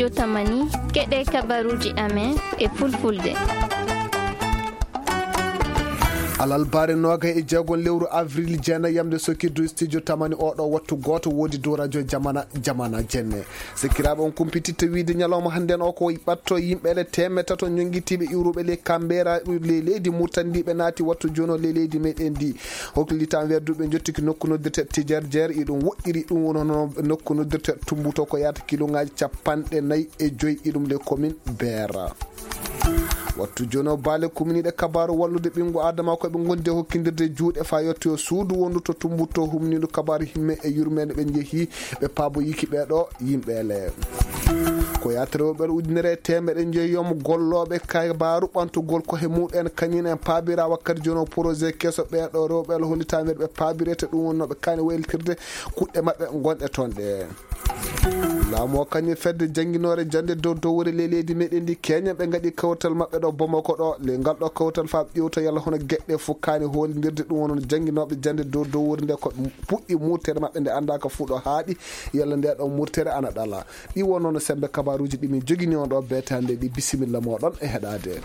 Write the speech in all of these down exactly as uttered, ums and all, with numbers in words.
Yo tamani, keɗe kabaruuji amen e fulfulde. Alalbaare noogay e jeegon lewru avril, jeenayi yamde sokirdu studio tamani oɗo wattu gooto woodi dow radio Jamana, Jamana Jenne. Sikiraaɓe on kumpititta wiide ñalawma hannden o ko ɓatto yimɓe le teemeɗɗe tato ñonngitiiɓe iwruɓe le Kambera, le leydi Murtani ndi ɓe naati wattu jono le leydi meɗen ndi. Hoklitan wedduɓe jottiki nokku noddirte Tijarjer, iɗum woɗɗiri ɗum woni hono nokku noddirte Tumbuto ko yaata kiloŋaaji capanɗe nayi e joyi iɗum le commune Beera. Wattu jono baale kumniɗe kabaaru wallude ɓinngu Adama ko ɓe ngondi e hokkindirde juuɗe faa yottoyo suudu wondu to Tumbuto humnindu kabaaru himme e yurmeende ɓe njehi ɓe paaboyiki ɓeeɗo yimɓe le. Ko yaata rewɓe ujunere e teemeɗe njeyoom gollooɓe kabaaru ɓantugol ko he muɗen kañum en paabira wakkati jono projet keso ɓeeɗo rewɓe le hollitaa nder ɓe paabirete ɗum wonnooɓe kaani waylitirde kuɗɗe maɓɓe ngonɗe toon ɗe. Laamu o kañum fedde jannginoore jannde dow dowre ley leydi meɗen ndi keñen ɓe ngaɗi kawtal maɓɓe ɗo Bamako ɗo le ngal ɗo kawtal faa ƴewta yalla hono geɗɗe fof kaani holindirde ɗum wonno jannginooɓe jannde dow dowre nde ko puɗɗi murtere maɓɓe nde anndaaka fuu ɗo haaɗi yalla nde ɗo murtere ana ɗala. Ɗi wonno no sembe kabaaruuji ɗi min jogini on ɗo beetande ɗi bisimilla moɗon e heɗaade.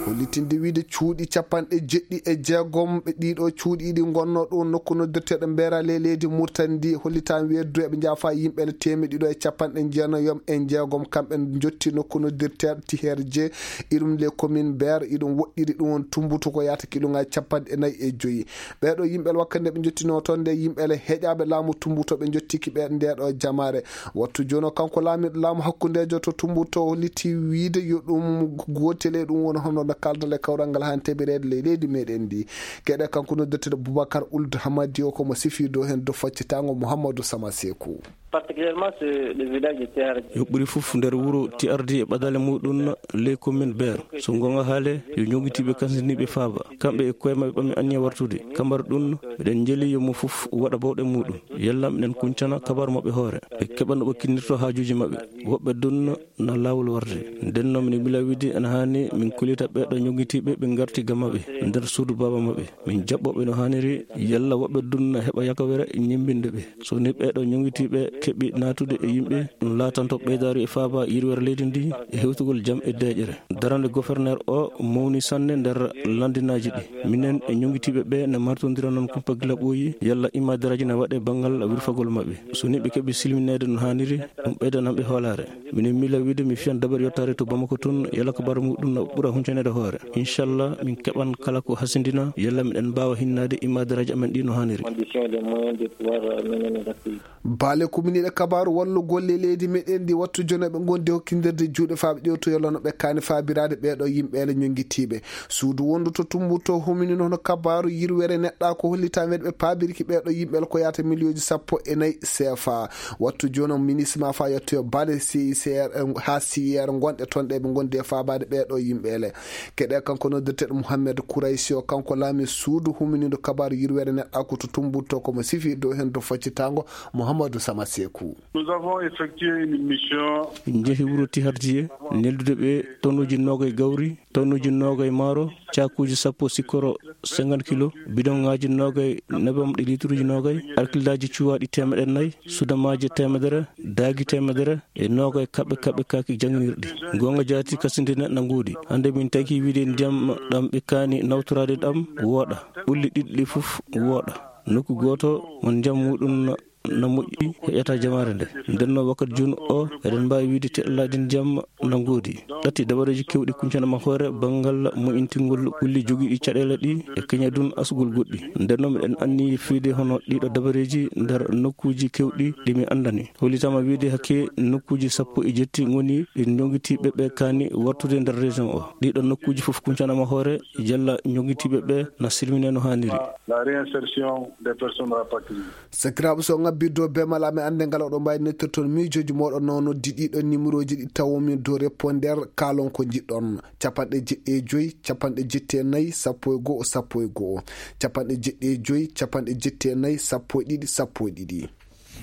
Hollitinde wiide cuuɗi capanɗe jeɗɗi e jeegom ɓe ɗiɗo cuuɗi ɗi ngonno ɗo nokku noddirteɗo Mbeera ley leydi Murtani ndi hollitan weddu eɓe njaafa yimɓe le teemeɗɗe ɗiɗo e capanɗe jeenayi e jeegom kamɓe jotti nokku noddirteɗo Tiherje irum le commune Mbeera iɗum woɗɗiri ɗum on tumbutu ko yaata kiloŋaaji capanɗe nayi e joyi. Ɓeeɗo yimɓe wakkati nde ɓe jottino toon nde yimɓe le heƴaaɓe laamu tumbuto ɓe jottiki ɓe ndeɗo jamaare. Wattu jono kanko laamiɗo laamu hakkundejo to Tumbuto holliti wiide yo ɗum gootel e ɗum woni hono no kaldal e kawral ngal han teɓireede ley leydi meɗen ndi. Keɗe kanko noddirteɗo Boubacar Ould Hamadi o ko mo sifi dow hen dow faccitango Mouhamadou Sama Sekou. Particulièrement ce, le village de Tiardi. Yo ɓuri fof nder wuro Tiardi e ɓadale muɗum ley commune Beer. So gonga haale yo ñogitiiɓe kansiniiɓe faaba. Kamɓe e koye maɓɓe ɓammi anniya wartude. Kambar ɗum miɗen njeli yo mo fof waɗa bawɗe muɗum. Yalla miɗen kuncana kabar maɓɓe hoore. Ɓe keɓa no ɓe kinnirto haajuuji maɓɓe. Woɓɓe ɗum na laawol warde. Nden noon miɗen mila wiide ene haani min kullita ɓeeɗo ñogitiiɓe ɓe ngarti ga maɓɓe nder suudu baaba maɓɓe. Min jaɓɓo ɓe no haaniri yalla woɓɓe ɗum na heɓa yakawere ñemmbinde ɓe. So ni ɓeeɗo ñogitiiɓe keɓi naatude e yimɓe, ɗum laatanto ɓeydaari e faaba yirwere leydi ndi e hewtugol jam e deeƴere. Darande gouverneur o mawni sanne nder landinaaji ɗi. Minen e ñogitiiɓe ɓe ne martondira noon kumpa gila ɓooyi yalla immadaraaji na waɗe banngal wirfagol maɓɓe. So ni ɓe keɓi silmineede no haaniri, ɗum ɓeydanan ɓe hoolaare. Minen mila wiide mi fiyan dabar yottaade to Bamako toon, yalla ko bara muɗum na ɓura huncaneede hoore. Inchallah, min keɓan kala ko hasindina, yalla miɗen mbaawa hinnaade immadaraaji amen ɗi no haaniri. Conditions et les moyens de pouvoir, euh, mener nos activités. Baale kuminiiɗe kabaaru wallu golle leydi meɗen ndi wattu jono ɓe ngondi hokkindirde juuɗe faaɓe ƴewtoyo lano ɓe kaani faabiraade ɓeeɗo yimɓe ele ñongitiiɓe. Suudu wondu to Tumbuto humini hono kabaaru yirwere neɗɗa ko hollita men ɓe paabirki ɓeeɗo yimɓe ele ko yaata miliyonji sappo e nayi C F A. Wattu jono ministre ma fa yettoyo baale C I C R, eh, haa C I R ngonɗe toon ɗe ɓe ngondi e faabaade ɓeeɗo yimɓe ele. Keɗe kanko noddirteɗo Mouhamed Kouraysi o, kanko laami suudu huminiiɗo kabaaru yirwere neɗɗa ko to Tumbuto ko mo sifi dow hen to faccitango Mouhamadou Sama Sekou. Nous avons effectué une mission. Min njehi wuro Tiharjiye, neldude ɓe tonnuji noogay gawri, tonnuji noogay maaro, caakuuji sappo sikkoro cinquante kilo, bidoŋaaji noogay nebam ɗi liituruuji noogay, alkillaaji cuwaaɗi teemeɗe nayi, sudamaaji teemedere, daagi teemedere, e noogay kaɓɓe kaɓɓe kaaki jannginirɗi. Goonga jaati kasindine na ngoodi. Hannde min tagi wiide ndiyam ɗam ɓe kaani nawtoraade ɗam wooɗa. Ɓulli ɗiɗi ɗi fof wooɗa. Nokku gooto mo ndiyam muɗum na moƴƴi heƴata jamaare nde. Nden noon wakkati jooni o, eɗen mbaawi wiide teɗalaaji ndiyam na ngoodi. Ɗatti dabareeji keewɗi kuncana ma hoore banngal moƴƴintingol ɓulli jogiiɗi caɗeele ɗi e keña dun asugol goɗɗi. Nden noon miɗen anniyi fiide hono ɗiɗo dabareeji nder nokkuuji keewɗi ɗi mi anndani. Hollitama wiide hakke nokkuuji sappo e jetti ngoni ɗi ñogitiiɓe ɓe kaani wartude nder région o. Ɗiɗo nokkuuji fof kuncana ma hoore jalla ñogitiiɓe ɓe na silmine no haaniri. La réinsertion des personnes rapatriées. Sakiraaɓe, so ngabbirde o be mala, mi annde ngal oɗo mbaawi nettirton miijooji mooɗon no noddi ɗiɗo numéroji ɗi tawomin dow répondeur, kaalon ko njiɗɗon. Capanɗe jeɗɗi e joyi, capanɗe jetti e nayi, sappo e go'o, sappo e go'o. Capanɗe jeɗɗi e joyi, capanɗe jetti e nayi, sappo e ɗiɗi, sappo e ɗiɗi.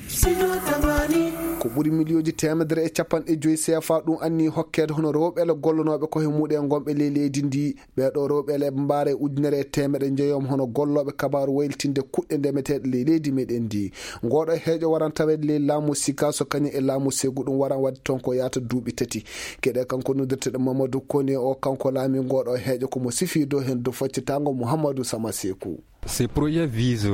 Studio Tamani. Ko ɓuri miliyonji teemedere e capanɗe joyi C F A ɗum anni hokkeede hono rewɓe ele gollonooɓe ko he muɗe ngonɓe ley leydi ndi. Ɓeeɗo rewɓe ele ɓe mbaara e ujunere e teemedde njeyoom hono gollooɓe kabaaru waylitinde kuɗɗe ndemeteeɗe ley leydi meɗen ndi. Ngooɗo heejo waran taweede ley laamu Sikaso kañum e laamu Segu, ɗum waran waɗde toon ko yaata duuɓi tati. Keɗe kanko noddirteɗo Mamadou Kone o, kanko laami ngooɗo heejo ko mo sifi dow heen dow faccitango Mouhamadou Sama Sekou. Ces projets visent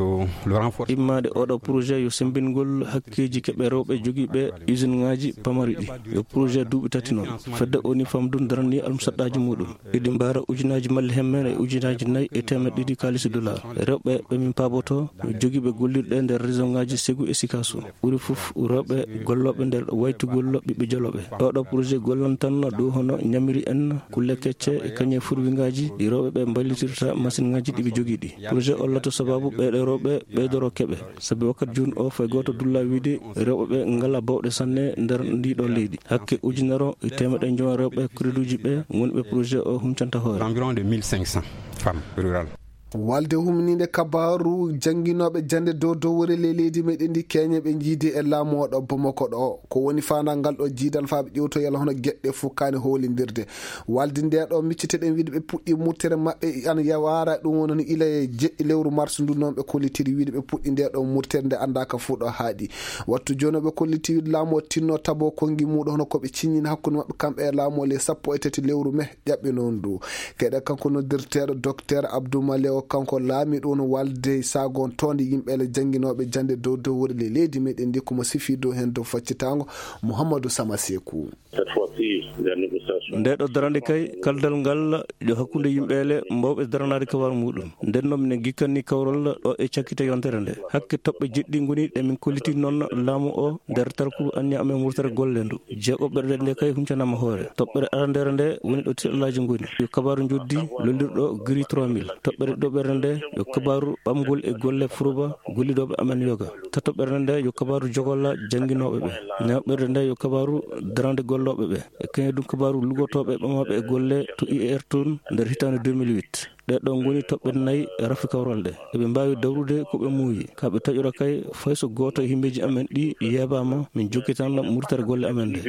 le renforcement. Immaade oɗo projet yo sembingol hakkeeji keɓe rewɓe jogiiɓe usine ŋaaji pamari ɗi. Yo projet duuɓi tati noon. Fedde o ni famdun darani almusaɗɗaaji muɗum. Eɗi mbaara ujunaaji malli hemmen e ujunaaji nayi e teemeɗɗe ɗiɗi kaalisi dollar. Rewɓe ɓe min paaboto jogiiɓe gollirɗe nder région ŋaaji Segu e Sikaso. Ɓuri fof rewɓe gollooɓe nder waytugol ɓiɓɓe jolooɓe. Oɗo projet gollantanno dow hono ñamiri en, kulle kecce e kañe furwingaaji ɗi rewɓe ɓe mballitirta machine ŋaaji ɗi ɓe jogii ɗi. Projet o lato sababu ɓeeɗo rewɓe ɓeydoro keɓe. Sabi wakkati jooni o fay gooto dulla wiide rewɓe ɓe ngala bawɗe sanne nder ndiɗo leydi. Hakke ujunere e teemeɗɗe njowan rewɓe crédit uji ɓe woni ɓe projet o huncanta hoore. Environ de mille cinq cents femmes rurales. Walde humniinde kabaaru jannginooɓe jannde dow dowre ley leydi meɗen ndi keñe ɓe njiidi e laamu o ɗo Bamako ɗo. Ko woni faandagal ɗo jiidal faa ɓe ƴewtoyal hono geɗe fof kaani hoolindirde. Walde nde ɗo micciteɗen wiide ɓe puɗɗi murtere maɓɓe an yawaara ɗum woni ila e jeɗɗi lewru mars ndu noon ɓe kollitiri wiide ɓe puɗɗi nde ɗo murtere nde anndaaka fof ɗo haaɗi. Wattu jooni ɓe kolliti wiide laamu o tinno tabo konngi muɗo hono ko ɓe ciññini hakkunde maɓɓe kamɓe e laamu o ley sappo e tati lewru me ƴaɓɓi noon ndu. Keɗe kanko noddirteeɗo Docteur Abdou Maleo, kanko laamiɗo woni walde saagon toonde yimɓe ele jannginooɓe jannde dow dowre ley leydi meɗen ndi, ko mo sifi dow heen dow faccitango Mouhamadou Sama Sekou. Cette fois-ci, les négociations. Nde ɗo darande kay, kaldal ngal yo hakkunde yimɓe ele mbawɓe daranaade kawal muɗum. Nden noon minen gikkanni kawral ɗo e cakkite yontere nde. Hakke toɓɓe jeɗɗi ngoni ɗe min kolliti noon laamu o nder talkuru anniya amen murtere golle ndu. Jeegoɓere nde kay huncanaama hoore. Toɓɓere arandere nde woni ɗo tiɗalaaji ngoni. Yo kabaaru njoddi lollirɗo giri trois mille. Toɓɓere ɗiɗoɓere nde yo kabaaru ɓamgol e golle furuba gollidooɓe amen yoga. Tatoɓere nde yo kabaaru jogolla jannginooɓe ɓe. Nayaɓere nde yo kabaaru darande gollooɓe ɓe. E kañum ɗum kabaaru lugotooɓe ɓamaaɓe e golle to I E R toon nder hitaande deux mille huit. Ɗee ɗoo ngoni toɓɓe nayi rafi kawral ɗe. Eɓe mbaawi dawrude ko ɓe muuyi. Ka ɓe taƴora kay, fay so gooto e himbeeji amen ɗi yeebaama, min jokkitan murtere golle amen ɗe.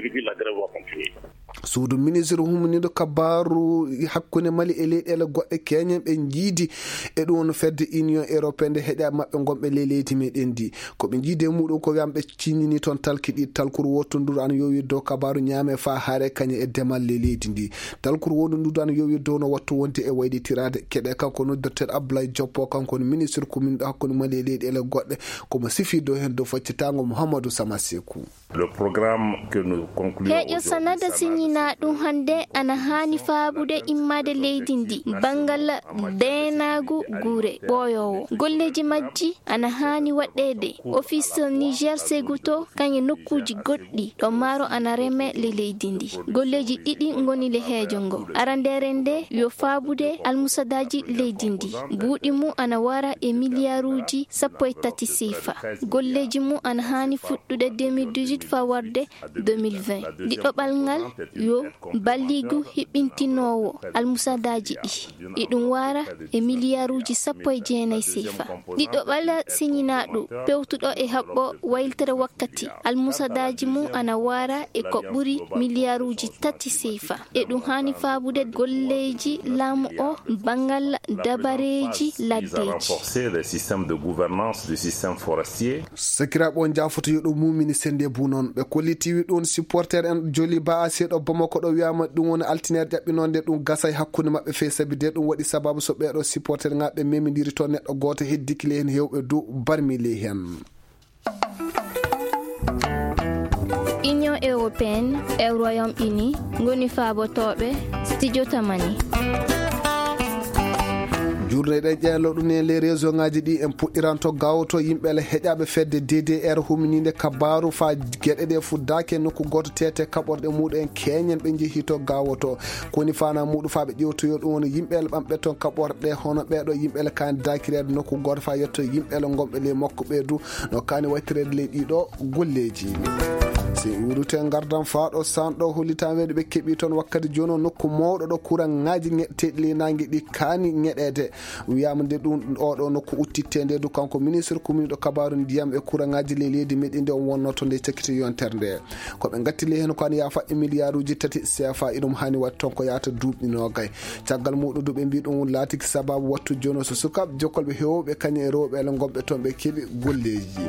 Suudu ministre humniiɗo kabaaru hakkunde Mali e leyɗeele goɗɗe keñen ɓe njiidi e ɗum woni fedde Union Européenne nde heƴa maɓɓe ngonɓe ley leydi meɗen ndi. Ko ɓe njiidi e muɗum ko wiyam ɓe ciññini toon talki ɗi, talkuru wottunduɗo an yowi dow kabaaru ñaame faa haare kañe e demal ley leydi ndi. Talkuru wonunduɗo an yowi dow no wattu wonde e waylitiraade. Keɗe kanko noddirteeɗo Abdoulaye Diop o, kanko woni ministre kuminɗo hakkunde Mali e leyɗeele goɗɗe, ko mo sifi dow heen dow faccitango Mouhamadou Sama Sekou. Le programme que nous concluons Heeƴo aujourd'hui, sanada ça va siñinaa ɗum hannde ana haani faabude immaade leydi ndi banngal deenaagu gure ɓooyoowo. Golleeji majji ana haani waɗɗeede office Niger Seguto kañe nokkuuji goɗɗi ɗo maaro ana reme le leydi ndi. Golleeji ɗiɗi ngoni le heejo ngo. Arandeere nde yo faabude almusadaaji leydi ndi. Buuɗi mum ana wara e miliyaaruuji sappo e tati seefa. Golleeji mum ana haani fuɗɗude deux mille dix-huit faa warde deux mille vingt. Ɗiɗoɓal ngal yo balligu hiɓɓintinoowo almusadaaji ɗi. Iɗum wara e miliyaaruuji sappo e jeenayi seefa. Ɗiɗoɓal siñinaaɗo pewtuɗo e haɓɓo wayltere wakkati almusadaaji mum ana wara e ko ɓuri miliyaaruuji tati seefa. E ɗum haani faabude golleeji laamu o banngal dabareeji laddeeji. Renforcer les systèmes de gouvernance du système forestier. Sakiraaɓe, on njaafoto yo ɗum mumini sennde bu noon. Ɓe kollitiwi ɗum supporter en joli ba a seeɗo Bamako ɗo wiyama ɗum woni altineer ƴaɓɓinonde ɗum gasay hakkunde maɓɓe fee sabi de ɗum waɗi sababu so ɓeeɗo supporter ŋaaɓe memidiri toon neɗɗo gooto heddiki ley heen heewɓe du barmi ley heen. Union Européenne e Royaume Uni ngoni faabotooɓe studio tamani. Jurne ɗe ƴeelo ɗum e les réseau ngaji ɗi en puɗɗiranto gawoto yimɓe le heƴaɓe fedde D D R huminiinde kabaaru fa geɗe ɗe fuddaaki e nokku gooto tete kaɓorɗe muɗum en keñen ɓe njehi to gawoto. Koni fana muɗum fa ɓe ƴewtoyo ɗum woni yimɓe le ɓamɓe toon kaɓorɗe hono ɓeeɗo yimɓe le kan dakireede nokku gooto fa yetto yimɓe le gonɓe ley makko ɓe du no kani waytireede ley ɗiɗo golleeji. Si wurute ngardan faa ɗo sanɗo hollitaweeɗo ɓe keɓi toon wakkati jooni o nokku mawɗo ɗo kuran ŋaaji ŋeɗteeɗi ley naange ɗi kaani ŋeɗeede. Wiyaama nde ɗum oɗo nokku uttitte nde du kanko ministre kuminiiɗo kabaaru ndiyam e kuraŋaaji ley leydi meɗi nde on wonnoo to nde cakkiti yontere nde. Ko ɓe ngatti ley heen ko an yaafa e miliyaaruuji tati C F A iɗum haani waɗ toon ko yaata duuɓi noogay. Caggal muɗum du ɓe mbi ɗum laatiki sababu wattu jooni so sukaaɓe jokkolɓe heewɓe kañum e rewɓe ele ngonɓe toon ɓe keɓi golleeji.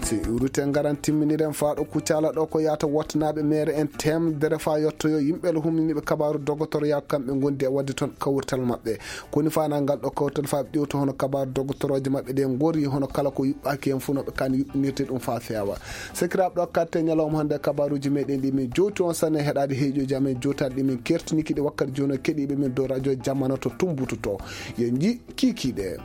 Si urute ngaran timminiren faa ɗo Kucala ɗo ko yaata wottanaaɓe meere en temedere faa yottoyo yimɓe ele huminiiɓe kabaaru dogotoroya kamɓe ngondi e waɗde toon kawrital maɓɓe. Koni faanaa ngal ɗo kawrital faa ɓe ƴewta hono kabaaru dogotorooje maɓɓe ɗe ngori hono kala ko yuɓɓaaki heen fof no ɓe kaani yuɓɓinirde ɗum faa feewa. Sakiraaɓe ɗo katte ñalawma hannde kabaaruuji meɗen ɗi min jowti on sanne heɗaade heeƴooji amen jowtaade ɗi min kertiniki ɗi wakkati jooni o keɗiiɓe min dow radio jamano to tumbututo. Yo nji kiikiiɗe.